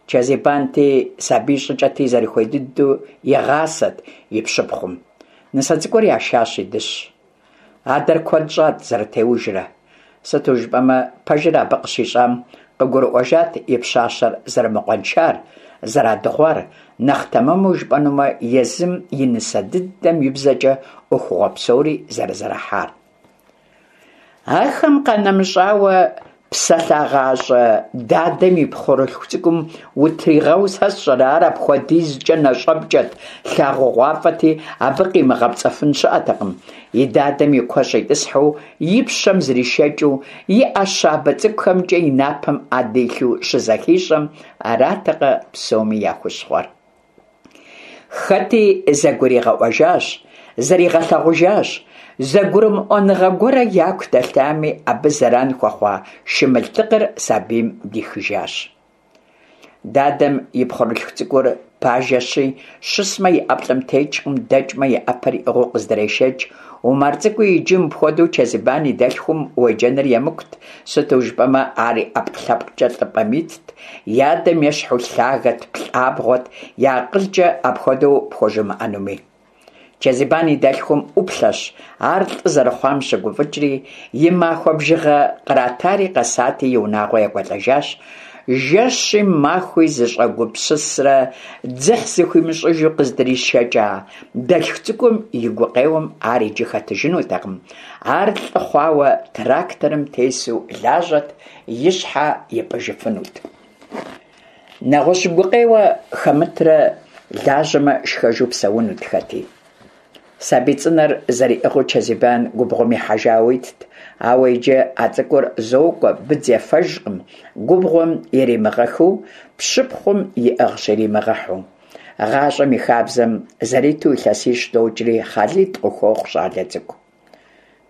A: Чэзибанти, сабий щӏыкӏэти зэрыхуей дыдэу игъасэт и пщыпхъум. Нысэ цӏыкӏур яшащ и дыщ. Адэр куэд щӏат зэрытеужрэ. Сыту жыпӏэмэ, пэжыр абы къыщищӏам къыгурыӏуэжат и пщащэр зэрымыкъуэншар, зэрадыгъуар, нэхъ тэмэму жыпӏэнумэ, езым и нысэ дыдэм и бзэкӏэ ӏуэхугъуэ псори зэрызэрахьар. Ахэм къанэмыщӏауэ, псэлъагъащӏэ дадэм и пхъурылъху цӏыкӏум утригъэу сэ сщӏэрэ, ар апхуэдизкӏэ нэщӏэпкӏэт, лъагъугъуафӏэти, абы къимыгъэпцӏэфын щыӏэтэкъым. И дадэм и куэщӏ итӏысхьэу, и пщэм зришэкӏыу, и ӏэ щабэ цӏыкӏухэмкӏэ и напэм ӏэ дилъу щызэхищӏэм, аратэкъэ псоми я хущхъуэр. Хэти зэгуригъэӏуэжащ, зэригъэлъэгъужащ, зэгурымыӏуэныгъэ гуэрэ яку дэлъами, абы зэран хуэхъуа шымылдыкъыр сабийм дихыжащ. Дадэм и пхъурылъху цӏыкӏур пажэщи, щысмэ и ӏэплӏэм текӏкъым, дэкӏмэ и ӏэпэр иӏыгъыу къыздрешэкӏ. Умар цӏыкӏуи иджы мыпхуэдэу Чэзибан и дэлъхум уеджэныр емыкӏут, сыту жыпӏэмэ ар и ӏэпкълъэпкъкӏэ лӏыпӏэм итт, и адэм ещхьу лъагэт, плӏабгъуэт, и акъылкӏэ апхуэдэу пхуэжымыӏэнуми. Чэзибан и дэлъхум ӏуплъэщ, ар лӏы зэрыхъуам щыгуфӏыкӏри, и махуэ бжыгъэ къратари къэсати, и унагъуэ екӏуэлӏэжащ. Жэщи махуи зыщӏэгупсысрэ дзыхь зыхуимыщӏыжу къыздришэкӏа дэлъху цӏыкӏум и гукъеуэм ар иджы хэтыжынутэкъым. Ар лӏы хъуауэ тракторым тесу лажьэт, и щхьэ ипӏыжыфынут. Нэгъуэщӏ гукъеуэ хэмытрэ лажьэмэ шхэжу псэунут хэти. Сабий цӏынэр зэриӏыгъыу Чэзибан губгъуэм ихьэжауэ итт, ауэ иджы а цӏыкӏур зокӏуэ, быдз ефэжкъым, губгъуэм иримыгъэхыу, пщыпхъум иӏыгъщ иримыгъэхьу. Гъащӏэм и хабзэм зэриту илъэсищ докӏри Хъалид къыхуохъу щӏалэ цӏыкӏу.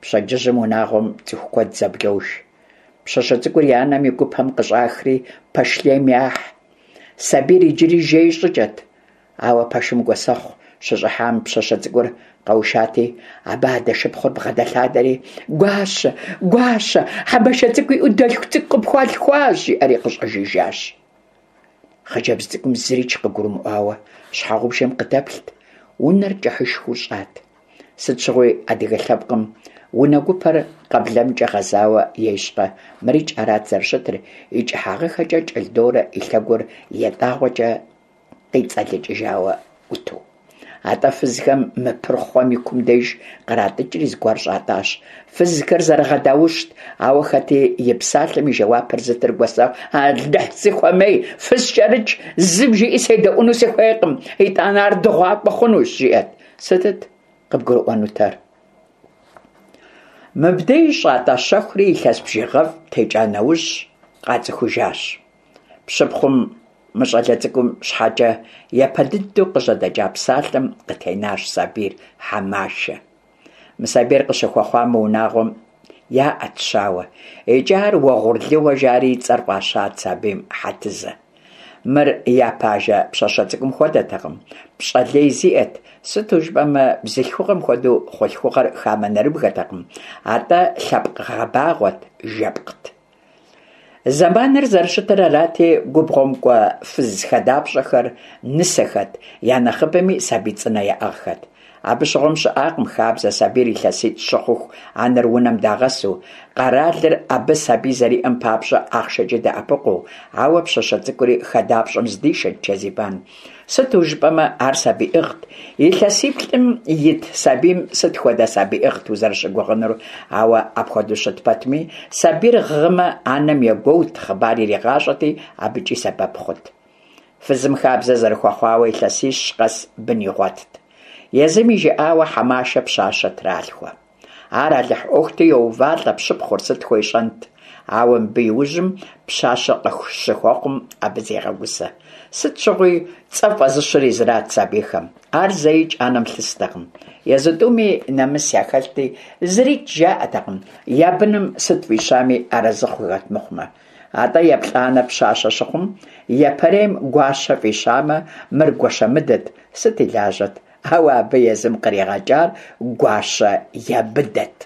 A: Пщэдджыжьым унагъуэм цӏыху куэд зэблож. Пщащэ цӏыкӏур и анэм и гупэм къыщӏахри пэш лейм яхь. Сабийр иджыри жей щӏыкӏэт, ауэ пэшым гуэсэхъу щыщӏыхьам пщащэ цӏыкӏур къэушати, абы адэ шыпхъур бгъэдэлъадэри «Гуащэ, гуащэ, хьэбашэ цӏыкӏу иӏэу дэлъху цӏыкӏу къыпхуалъхуащ!» жиӏэри къыщӏэжыжащ. Хъыджэбз цӏыкӏум зырикӏ къыгурымыӏуауэ щхьэгъубжэм къыдэплът, унэр кӏыхьышхуэу щӏат. Сыт щыгъуи адыгэ лъэпкъым унэ гупэр къэблэмкӀэ гъэзауэ ещӀкъэ, мырикӀ арат зэрыщытыр, и кӀыхьагъыхэкӀэ кӀэлындорым и лъэгур ятӀагъуэкӀэ къицӀэлыкӀыжауэ Ӏуту. АтӀэ фызхэм мы пырхъуэм и кум деж къратӀыкӀри зыгуэр щӀатӀащ. Фызхэр зэрыгъэдаущт, ауэ хэти и псалъэм и жэуапыр зытыр Гуэсэхъут. «Алыхь, сыхуэмей, фыскӀэрыкӀ, зым жиӀи седэӀуэну сыхуейкъым, итӀанэ ар дыгъуакӀуэ хъунущ», жиӀэрт. Сытыт къыбгурыӀуэнутэр? Мыбдеж щӀатӀа щэхури илъэс бжыгъэфӀ текӀа нэужь къацӀыхужащ. Пщыпхъум мы щӀалэ цӀыкӀум щхьэкӀэ япэ дыдэу къыжьэдэкӀа псалъэм къытенащ сабийр – Хьэмашэ. Мы сабийр къыщыхуэхъуа мы унагъуэм яӀэт щауэ, икӀи ар уэгъурлыуэ жари и цӀэр фӀащат сабийм – Хьэтызэ. Мыр япэ ажэ пщащэ цӀыкӀум хуэдэтэкъым, пщӀэ лей зиӀэт, сыту жыпӀэмэ бзылъхугъэм хуэдэу хъулъхугъэр хамэ нэрыбгэтэкъым, атӀэ лъэпкъ гъэбагъуэт, жэпкът. Зэманыр зэрыщытыр арати, губгъуэм кӀуэ фыз хадапщӀэхэр нысэхэт, я нэхъыбэми сабий цӀынэ яӀыгъхэт. Абы щыгъуэм щыӀакъым хабзэ сабийр илъэситӀ щыхъуху анэр унэм дагъэсу, къэралыр абы сабий зэриӀэм папщӀэ ахъшэкӀи дэӀэпыкъуу, ауэ пщащэ цӀыкӀури хадапщӀэм здишэрт Чэзибан. Сыту жыпӀэмэ ар сабийӀыгът, илъэсиплӀым ит сабийм сыт хуэдэ сабийӀыгът узэрыщыгугъынур, ауэ апхуэдэу щыт пэтми, сабийр гъымэ анэм егуэут, хъыбар иригъащӀэти, абыкӀи сэбэп хъут. Фызым хабзэ зэрыхуэхъуауэ илъэсищ къэс бын игъуэтт. Езым и жыӀауэ Хьэмашэ пщащэ тралъхуэ. Ар Алыхь Ӏуэхути йоувалӀэ пщыпхъур, сыт хуещӀэнт? Ауэ мыбы иужьым пщащэ къыщыхуэхъум абы зегъэгусэ. Сыт щыгъуи цӀэ фӀэзыщыр езырат сабийхэм. Ар зэикӀ анэм лъыстэкъым. Езы тӀуми нэмыс яхэлъти, зырикӀ жаӀэтэкъым, я быным сыт фӀищами арэзы хъухэт мыхъумэ. АтӀэ еплӀанэр пщащэ щыхъум, япэрейм Гуащэ фӀищамэ, мыр Гуащэмыдэт, сыт и лажьэт? Ауэ абы езым къригъэкӀар Гуащэ ябыдэт.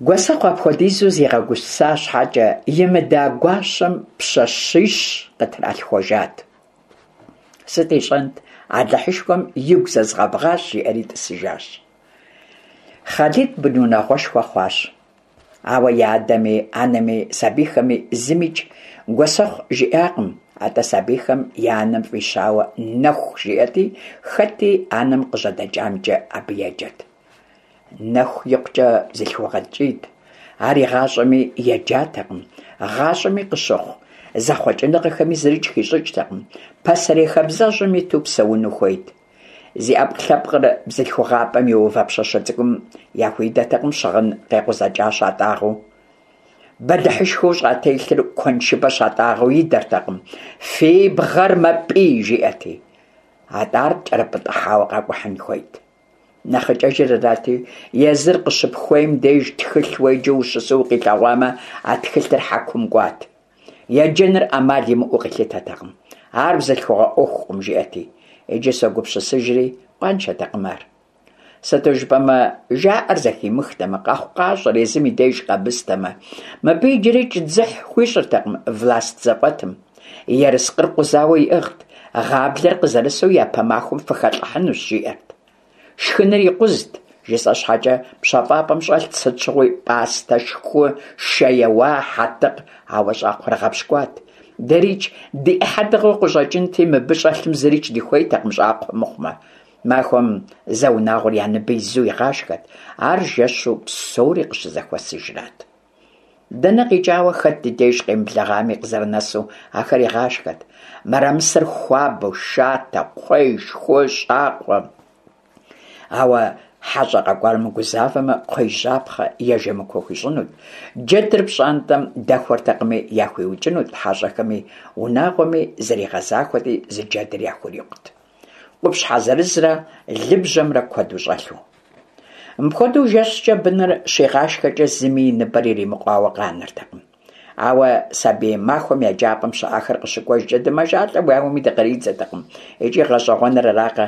A: Гуэсэхъу апхуэдизу зигъэгуса щхьэкӀэ, имыда гуащэм пщащищ къытралъхуэжат. Сыт ищӀэнт, Алыхьышхуэм игу зэзгъэбгъащ, жиӀэри тӀысыжащ. Хъалид бынунагъуэшхуэ хъуащ. Ауэ я адэми, анэми, сабийхэми зымикӀ Гуэсэхъу жиӀакъым, атӀэ сабийхэм я анэм фӀищауэ Нэху жиӀэти, хэти анэм къыжьэдэкӀамкӀэ абы еджэт. Нэху икъукӀэ бзылъхугъэ ткӀийт. Ар игъащӀэми еджатэкъым, гъащӀэми къыщыхъу зэхъуэкӀыныгъэхэми зырикӀ хищӀыкӀтэкъым, пасэрей хабзэжьым иту псэуну хуейт. Зи Ӏэпкълъэпкъыр бзылъхугъапӀэм иува пщащэ цӀыкӀум яхуидэтэкъым щыгъын къекъузэкӀа щатӀагъэу. Бэлыхьышхуэу щӀателъыр куэншыбэ щатӀагъэу идэртэкъым, фи бгъэр мэпӀий, жиӀэрти. АтӀэ ар кӀэрыпӀытӀыхьауэ къэкӀухьын хуейт. НэхъыкӀэжыр арати, езыр къыщыпхуейм деж тхылъ уеджэу ущысу укъилъэгъуамэ, а тхылъыр хьэкум кӀуат. Еджэныр Ӏэмал имыӀэу къилъытэтэкъым. Ар бзылъхугъэ Ӏуэхукъым, жиӀэрти. Иджы согупсысыжри, къуаншэтэкъым ар. Сыту жыпӀэмэ, жаӀэр зэхимыхтэмэ, къэхъукъащӀэр езым и деж къэмыстэмэ, мыбы иджырикӀ дзыхь хуищӀыртэкъым власть зэфӀэтым. Ерыскъыр къузауэ иӀыгът, гъаблэр къызэрысу япэ махуэм фыхэлӀыхьынущ, жиӀэрт. Шхыныр икъузт, жысӀэ щхьэкӀэ, пщэфӀапӀэм щӀэлът сыт щыгъуи пӀастэ, шху, шэ еуа, хьэтыкъ, ауэ щӀакхъуэр гъэпщкӀуат. ДэрикӀ ди Ӏыхьэ дыгъэу къыщӀэкӀынти, мыбы щӀэлъым зырикӀ дыхуейтэкъым щӀакхъуэ мыхъумэ. Махуэм зэ унагъуэр я ныбэ изу игъашхэт, ар жэщу псори къыщызэхуэсыжрат. Дэнэ къикӀауэ хэт ди деж къемыблэгъами къызэрынэсу ахэр игъашхэт. Мэрамысэр хуабэу, шатэ, кхъуей, шху, щӀакхъуэ. Ауэ хьэщӀэ къэкӀуар мыгузавэмэ, кхъуейжьапхъэ е жэмыкуэ хуищӀынут. Джэдыр пщӀантӀэм дэхуэртэкъыми, яхуиукӀынут хьэщӀэхэми, унагъуэми зэригъэзахуэти, зы джэдыр яхурикъут. Къупщхьэ зырызрэ лыбжьэмрэ куэду щӀэлъу. Мыпхуэдэу жэщкӀэ быныр щигъашхэкӀэ зыми и ныбэр иримыкъуауэ къанэртэкъым. Ауэ сабий махуэм еджапӀэм щыӀэхэр къыщыкӀуэжкӀэ дымэжалӀэу ауэми дыкъридзэтэкъым. ИкӀи гъэщӀэгъуэныр аракъэ,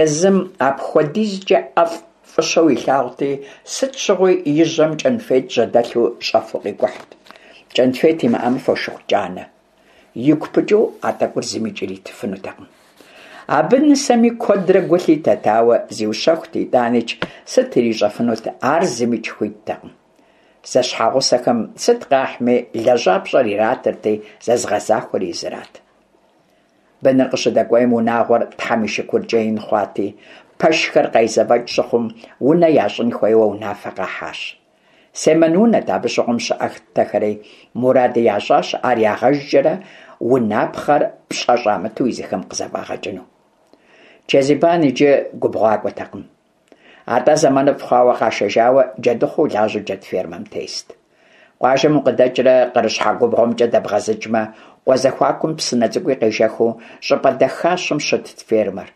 A: езым апхуэдизкӀэ ӀэфӀ фӀыщэу илъагъути, сыт щыгъуи и жьэм кӀэнфет жьэдэлъу щӀэфу къикӀухьт. КӀэнфет имыӀэмэ фошыгъу кӀанэ. Игу пыкӀыу а тӀэкӀур зымикӀ иритыфынутэкъым. Абы нысэми куэдрэ гу лъитэт, ауэ зиущэхут, итӀаникӀ сыт ирищӀэфынут, ар зымикӀ хуиттэкъым. Зэщхьэгъусэхэм сыт къахьми, лэжьапщӀэр иратырти, зэзыгъэзахуэр езырат. Быныр къыщыдэкӀуейм, унагъуэр Тхьэм и шыкуркӀэ ин хъуати, пэшхэр къезэвэкӀ щыхъум, унэ ящӀын хуейуэ унафэ къахьащ. Семэн унэт абы щыгъуэм щыӀэхтэхэри, муради ящӀащ ар ягъэжкӀэрэ унапхъэр пщӀэ щӀамыту езыхэм къызэфӀагъэкӀыну. Чэзибан иджы губгъуакӀуэтэкъым. АтӀэ зэманыфӀ хъуауэ къашэжауэ джэдыхъуэу лажьэу джэд фермэм тест. Къуажэм укъыдэкӀрэ къырыщхьэ губгъуэмкӀэ дэбгъэзыкӀмэ, къуэ зэхуакум псынэ цӀыкӀуи къежэхыу щӀыпӀэ дахащэм щытт фермэр.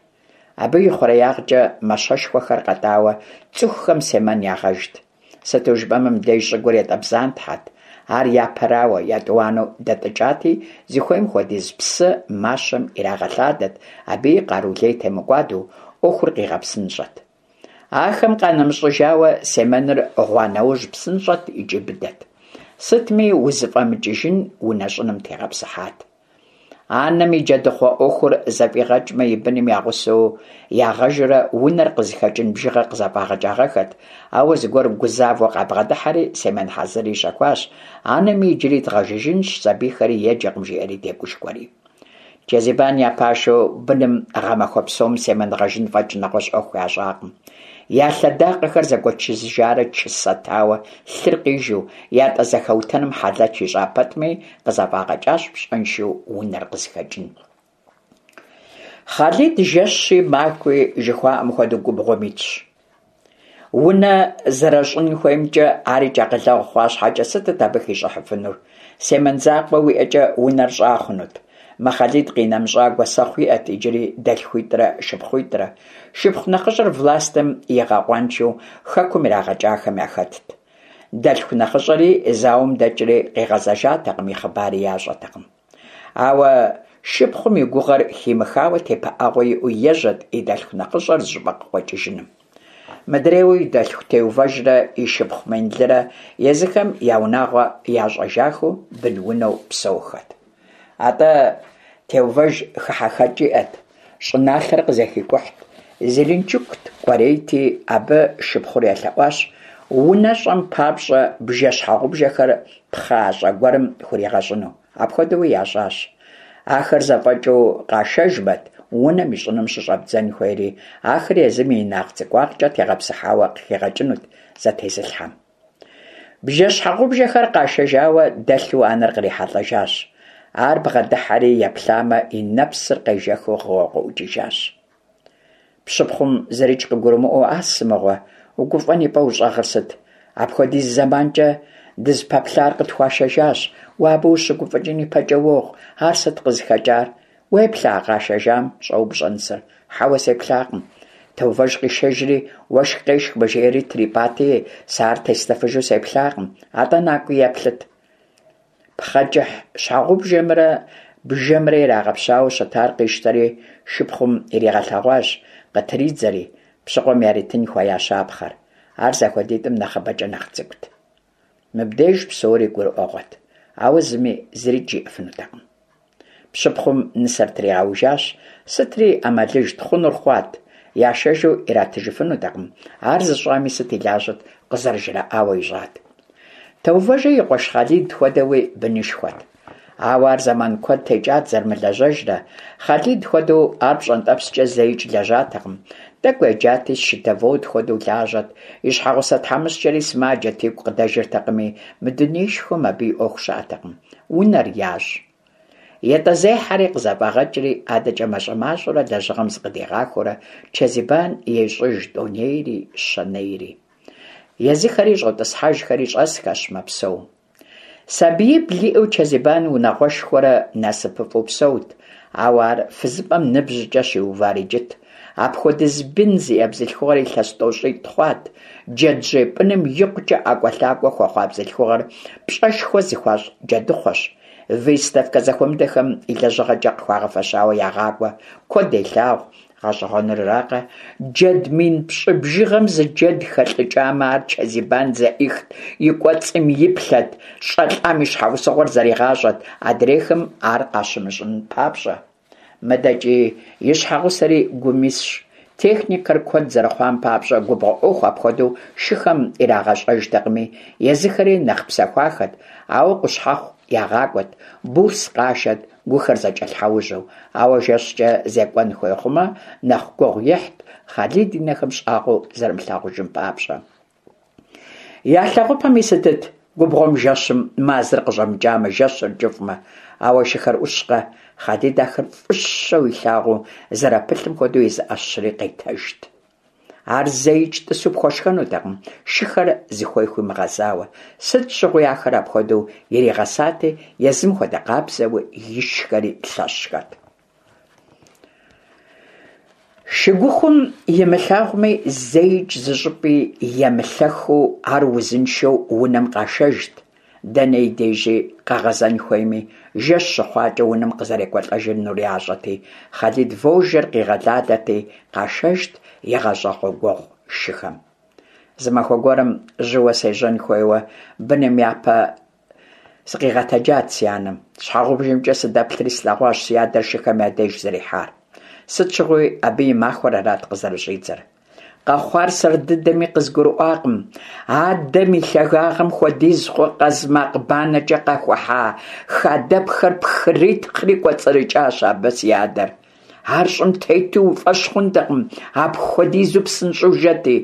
A: Абы и хъуреягъкӀэ мащэшхуэхэр къэтӀауэ цӀыхухэм семэн ягъэжт. Сыту жыпӀэмэ, мыбдеж щӀыгур ятӀэбзантхьэт, ар япэрауэ, етӀуанэу дэтӀыкӀати, зыхуейм хуэдиз псы мащэм ирагъэлъадэт, абыи къару лей темыкӀуадэу, Ӏуэхур къигъэпсынщӀэт. Ахэм къанэмыщӀыжауэ, семэныр гъуа нэужь псынщӀэт икӀи быдэт. Сытми узыфӀэмыкӀыжын унэ щӀыным тегъэпсыхьат. Анэм и джэдыхъуэ Ӏуэхур зэфӀигъэкӀмэ, и быным я гъусэу ягъэжурэ унэр къызыхэкӀын бжыгъэ къызэфӀагъэкӀагъэххэт, ауэ зыгуэр гузавэу къабгъэдыхьэри семэн хьэзыр ищэхуащ, анэми иджыри дгъэжыжынщ, сабийхэри еджэкъым жиӀэри тегушхуэри. Чэзибан я пашэу быным гъэмахуэ псом семэн гъэжын фӀэкӀ нэгъуэщӀ Ӏуэху ящӀакъым. Я лъэдакъэхэр зэгуэчыжарэ чысэтауэ лъыр къижу, ятӀэ зэхэутэным хьэлэч ищӀа пэтми, къызэфӀагъэкӀащ пщӀэншэу унэр къызыхэкӀын. Хъалид жэщи махуи жыхуаӀэм хуэдэу губгъуэм итщ. Унэ зэрыщӀын хуеймкӀэ арикӀ акъылэгъу хъуа щхьэкӀэ, сытыт абы хищӀыхьыфынур? Семэн закъуэ уиӀэкӀэ унэр щӀа хъунут? Мы Хъалид къинэмыщӀа гуэсэхъу иӀэт иджыри дэлъхуитӀрэ шыпхъуитӀрэ. Шыпхъу нэхъыщӀэр властым игъэкъуаншэу хэкум ирагъэкӀахэм яхэтт. Дэлъху нэхъыщӀэри зауэм дэкӀри къигъэзэжатэкъым, и хъыбари ящӀэтэкъым. Ауэ шыпхъум и гугъэр химыхауэ тепыӀэгъуэ иӀэу ежьэт и дэлъху нэхъыщӀэр зыщӀыпӀэ къыкъуэкӀыжыным. Мыдрейуэ и дэлъху Теувэжрэ и шыпхъу Менлырэ езыхэм я унагъуэ ящӀэжахэу бын-унэу псэухэт. АтӀэ Теувэж хыхьэхэкӀ иӀэт, щӀыналъэр къызэхикӀухьт, Зеленчукт кӀуэрейти, абы шыпхъур елъэӀуащ унэщӀэм папщӀэ бжэ-щхьэгъубжэхэр пхъащӀэ гуэрым хуригъэщӀыну. Апхуэдэуи ящӀащ. Ахэр зэфӀэкӀыу къашэжмэт унэм и щӀыным щыщӀэбдзэн хуейри, ахэр езым и инагъ-цӀыкӀуагъкӀэ тегъэпсыхьауэ къыхигъэкӀынут зэтезылъхьэм. Бжэ-щхьэгъубжэхэр къашэжауэ дэлъу анэр кърихьэлӀэжащ. Ар бгъэдыхьэри еплъамэ, и нэпсыр къежэхыу гъыуэ къыӀукӀыжащ. Пщыпхъум зырикӀ къыгурымыӀуэу, «Ас мыгъуэ, угуфӀэн и пӀэ ущӀэгъыр сыт? Апхуэдиз зэманкӀэ дызыпэплъар къытхуашэжащ, уэ абы ущыгуфӀыкӀын и пӀэкӀэ уогъ, ар сыт къызыхэкӀар? Уеплъа а къашэжам?» щӀоупщӀэ нысэр. «Хьэуэ, сеплъакъым. Теувэж къишэжри, уэшх къешхмэ жиӀэри трипӀати, сэ ар теслъэфыжу сеплъакъым. АтӀэ накӀуи еплъыт». ПхъэкӀыхь щхьэгъубжэмрэ бжэмрэ ирагъэпщауэ щытар къищтэри шыпхъум иригъэлъэгъуащ, къытридзэри, пщыкъуэм яритын хуея щапхъэр. Ар зэхуэдитӀым нэхъыбэкӀэ нэхъ цӀыкӀут. Мыбдеж псори гурыӀуэгъуэт, ауэ зыми зырикӀ жиӀэфынутэкъым. Пщыпхъум нысэр тригъэужащ, сытри Ӏэмалыжт, хъунур хъуат, яшэжу иратыжыфынутэкъым, ар зыщӀами сыт и лажьэт, къызэрыжраӀауэ ищӀат. Теувэжи и къуэш Хъалид хуэдэуи бынышхуэт. Ауэ ар зэман куэд текӀат зэрымылэжьэжрэ, Хъалид хуэдэу ар пщӀэнтӀэпскӀэ зэикӀ лэжьатэкъым. ТӀэкӀу еджати, счетовод хуэдэу лажьэт, и щхьэгъусэ тхьэмыщкӀэри сымаджэт, игу къыдэжыртэкъыми, мы дунеишхуэм абы и Ӏуэху щыӀэтэкъым. Унэр ящӀ. ЯтӀэзехьэри къызэфӀагъэкӀри, адэкӀэ мащӀэ-мащӀэурэ лэжьыгъэм зыкъыдигъахуэурэ Чэзибан ещӀыж тӀонейри щэнейри. Езыхэри щӀотӀысхьэжхэри щӀэсхэщ, мэпсэу. Сабиибл иӀэу Чэзибан унагъуэшхуэрэ насыпыфӀэу псэут, ауэ ар фызыпӀэм ныбжькӀэ щиувар иджыт. Апхуэдиз бын зиӀэ бзылъхугъэр илъэс тӀощӀитӀ хъуат. Джэджьей пӀыным икъукӀэ ӀэкӀуэлъакӀуэ хуэхъуа бзылъхугъэр пщӀэшхуэ зыхуащӀ джэдыхъуэщ. Выставкэ зэхуэмыдэхэм и лэжьыгъэкӀэ къыхуагъэфэщауэ ягъакӀуэ, куэд елъагъу. ГъэщӀэгъуэныракъэ, джэд мин пщӀы бжыгъэм зы джэд хэлӀыкӀамэ, ар Чэзибан зэӀихт, и кӀуэцӀым иплъэт, щӀэлӀам и щхьэусыгъуэр зэригъащӀэт, адрейхэм ар къащымыщӀын папщӀэ. Мыдэкӏи и щхьэгъусэри гум исщ. Техникэр куэд зэрыхъуам папщӏэ губгъуэ ӏуэху апхуэдэу шыхэм ирагъэщӏэжтэкъыми, езыхэри нэхъ псэхуахэт, ауэ къущхьэхъу ягъакӏуэт, бурс къашэт, гухэр зэкӏэлъхьэужьу. Ауэ жэщкӏэ зекӏуэн хуей хъумэ, нэхъ гугъу ехьт, Хъалид и нэхэм щӏагъуэу зэрымылъагъужым папщӏэ. Я лъэгъупэми сытыт губгъуэм жэщым мазэр къыщӏэмыкӏамэ, жэщыр кӏыфӏмэ. Ауэ шыхэр ӏущкъэ, Хъалид ахэр фӏыщэу илъагъуу зэрапылъым хуэдэу езы ӏэщри къетэжт. Ар зэикӏ тӏысу пхуэшхэнутэкъым, шыхэр зыхуей хуимыгъэзауэ. Сыт щыгъуи ахэр апхуэдэу иригъэсати, езым хуэдэ къабзэуи ишхэри лъэщхэт. Шыгухум имылъагъуми, зэикӏ зыщӏыпӏи емылъэхыу ар узыншэу унэм къашэжт. Дэнэ и дежи къэгъэзэн хуейми, жэщ щыхъуакӏэ унэм къызэрекӏуэлӏэжынур ящӏэти, Хъалид вожжэр къигъэлалэти къашэжт игъащӏэгъуэгуэгъу шыхэм. Зы махуэ гуэрым жьыуэ сежьэн хуейуэ быным япэ сыкъигъэтэджат си анэм. Щхьэгъубжэмкӏэ сыдэплъри слъэгъуащ си адэр шыхэм я деж зэрихьар. Сыт щыгъуи абы и махуэр арат къызэрыщӏидзэр. Къэхъуар сэр дыдэми къызгурыӏуакъым. Адэм и лъагагъым хуэдиз хъу къазмакъ банэкӏэ къэхухьа хадэпхэр пхритхъри кӏуэцӏрыкӏащ абы си адэр. Ар щӏым тету уи фӏэщ хъунтэкъым, апхуэдизу псынщӏэу жэти.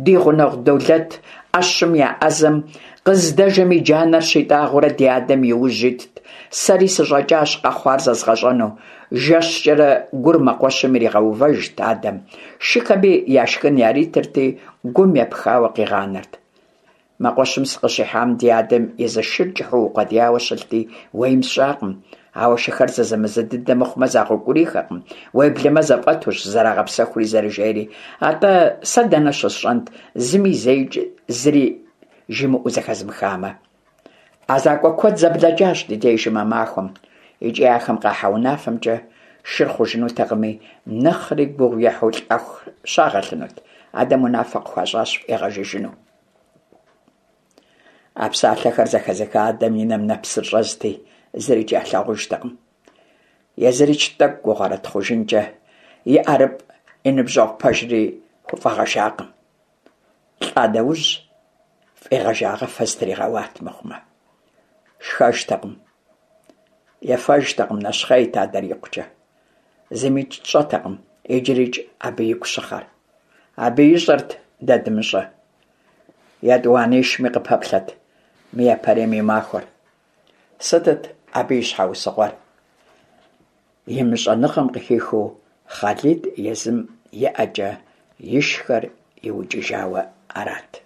A: Ди гъунэгъу Долэт, ӏэщым я ӏэзэм, къыздэжэм и джанэр щитӏагъэурэ ди адэм и ужь итт. Сэри сыщӏэкӏащ къэхъуар зэзгъэщӏэну. Жэщкӏэрэ гур мэкъуэщым иригъэувэжт адэм, шыхэми яшхын яритырти, гум епхауэ къигъанэрт. Мэкъуэщым сыкъыщихьам ди адэм и зы шыр кӏыхьу укъуэдияуэ щылъти, уейм сщӏакъым. Ауэ шыхэр зэзэмызэ дыдэ мыхъумэ загъэукӏурийхэкъым, уеблэмэ зэфӏэтущ зэрагъэпсэхури зэрыжейри. Атӏэ сэ дэнэ щысщӏэнт, зыми зэикӏ зыри жимыӏэу зэхэзмыхамэ. ӏэзакӏуэ куэд зэблэкӏащ ди дежым а махуэм, икӏи ахэм къахьа унафэмкӏэ шыр хъужынутэкъыми, нэхъри гугъу ехьу лӏэху щагъэлъынут. Адэм унафэ къыхуащӏащ фӏигъэжыжыну. А псалъэхэр зэхэзыха адэм и нэм нэпсыр щӏэзти, зырикӏ ялъагъужтэкъым. Езырикӏ тӏэкӏу гугъэрэт хъужынкӏэ и ӏэрыпӏ и ныбжьэгъу пэжри хуфӏэгъэжакъым. Лӏа нэужь фӏигъэжагъэфэ зытригъэуат мыхъумэ. Шхэжтэкъым, ефэжтэкъым, нэщхъейт адэр икъукӏэ. Зымикӏ тщӏэтэкъым иджырикӏ абы игу щыхъэр. Абы ищӏэрт дэ дымыщӏэ. Етӏуанишми къыпэплъэт мы япэрейм и махуэр. Сытыт абы и щхьэусыгъуэр? Имыщӏэныгъэм къыхихыу Хъалид езым и ӏэкӏэ ишхэр иукӏыжауэ арат.